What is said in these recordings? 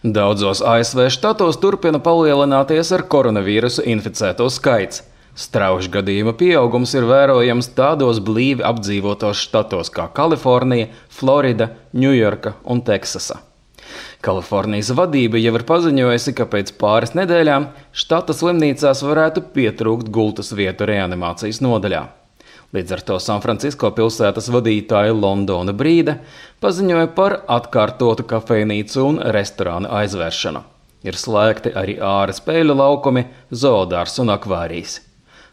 Daudzos ASV štatos turpina palielināties ar koronavīrusu inficēto skaits. Strauji gadījuma pieaugums ir vērojams tādos blīvi apdzīvotos štatos kā Kalifornija, Florida, Ņujorka un Teksasa. Kalifornijas vadība jau ir paziņojusi, ka pēc pāris nedēļām štata slimnīcās varētu pietrūkt gultas vietu reanimācijas nodaļā. Līdz ar to Sanfrancisko pilsētas vadītāja Londona Brīde paziņoja par atkārtotu kafejnīcu un restorānu aizvēršanu. Ir slēgti arī āra spēļu laukumi, zoodārs un akvārijas.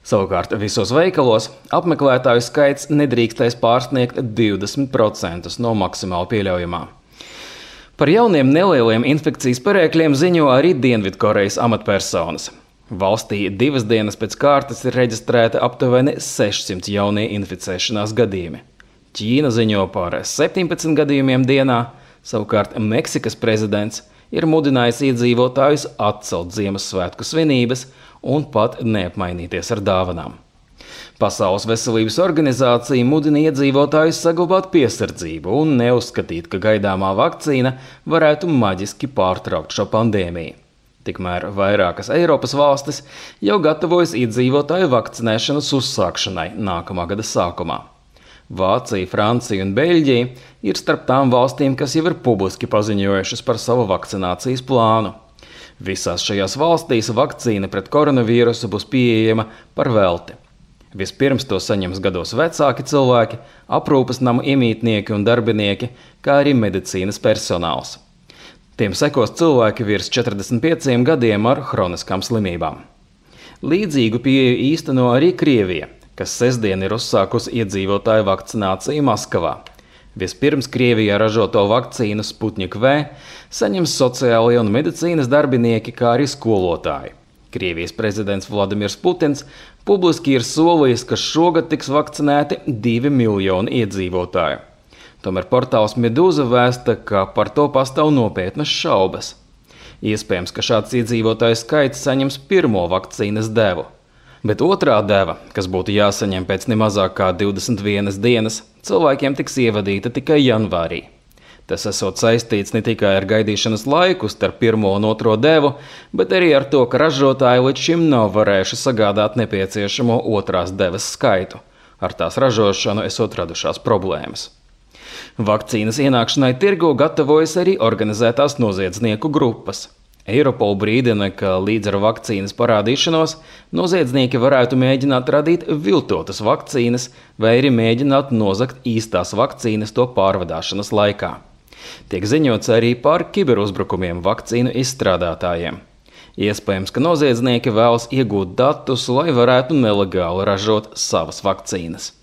Savukārt visos veikalos apmeklētāju skaits nedrīkstēs pārsniegt 20% no maksimāli pieļaujamā. Par jauniem nelieliem infekcijas perēkļiem ziņo arī Dienvidkorejas amatpersonas. Valstī 2 dienas pēc kārtas ir reģistrēta aptuveni 600 jaunie inficēšanās gadījumi. Ķīna ziņo par 17 gadījumiem dienā, savukārt Meksikas prezidents ir mudinājis iedzīvotājus atcelt Ziemassvētku svinības un pat neapmainīties ar dāvanām. Pasaules veselības organizācija mudina iedzīvotājus saglabāt piesardzību un neuzskatīt, ka gaidāmā vakcīna varētu maģiski pārtraukt šo pandēmiju. Tikmēr vairākas Eiropas valstis jau gatavojas iedzīvotāju vakcinēšanas uzsākšanai nākamā gada sākumā. Vācija, Francija un Beļģija ir starp tām valstīm, kas jau ir publiski paziņojušas par savu vakcinācijas plānu. Visās šajās valstīs vakcīna pret koronavīrusu būs pieejama par velti. Vispirms to saņems gados vecāki cilvēki, aprūpes nama iemītnieki un darbinieki, kā arī medicīnas personāls. Tiem sekos cilvēki virs 45 gadiem ar hroniskām slimībām. Līdzīgu pieeju īsteno arī Krievija, kas sestdien ir uzsākusi iedzīvotāju vakcināciju Maskavā. Vispirms Krievijā ražoto vakcīnu Sputnik V saņems sociālie un medicīnas darbinieki, kā arī skolotāji. Krievijas prezidents Vladimirs Putins publiski ir solījis, ka šogad tiks vakcinēti 2 miljoni iedzīvotāju. Tomēr portāls Medūza vēsta, ka par to pastāv nopietnas šaubas. Iespējams, ka šāds iedzīvotāju skaits saņems pirmo vakcīnas devu. Bet otrā deva, kas būtu jāsaņem pēc nemazāk kā 21 dienas, cilvēkiem tiks ievadīta tikai janvārī. Tas esot saistīts ne tikai ar gaidīšanas laiku starp pirmo un otro devu, bet arī ar to, ka ražotāji līdz šim nav varējuši sagādāt nepieciešamo otrās devas skaitu. Ar tās ražošanu esot radušās problēmas. Vakcīnas ienākšanai tirgo gatavojas arī organizētās noziedznieku grupas. Eiropol brīdina, ka līdz ar vakcīnas parādīšanos noziedznieki varētu mēģināt radīt viltotas vakcīnas vai arī mēģināt nozagt īstās vakcīnas to pārvadāšanas laikā. Tiek ziņots arī par kiberuzbrukumiem vakcīnu izstrādātājiem. Iespējams, ka noziedznieki vēlas iegūt datus, lai varētu nelegāli ražot savas vakcīnas.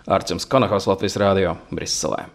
Arčuns Konahaus, Latvijas Rādio, Briselē.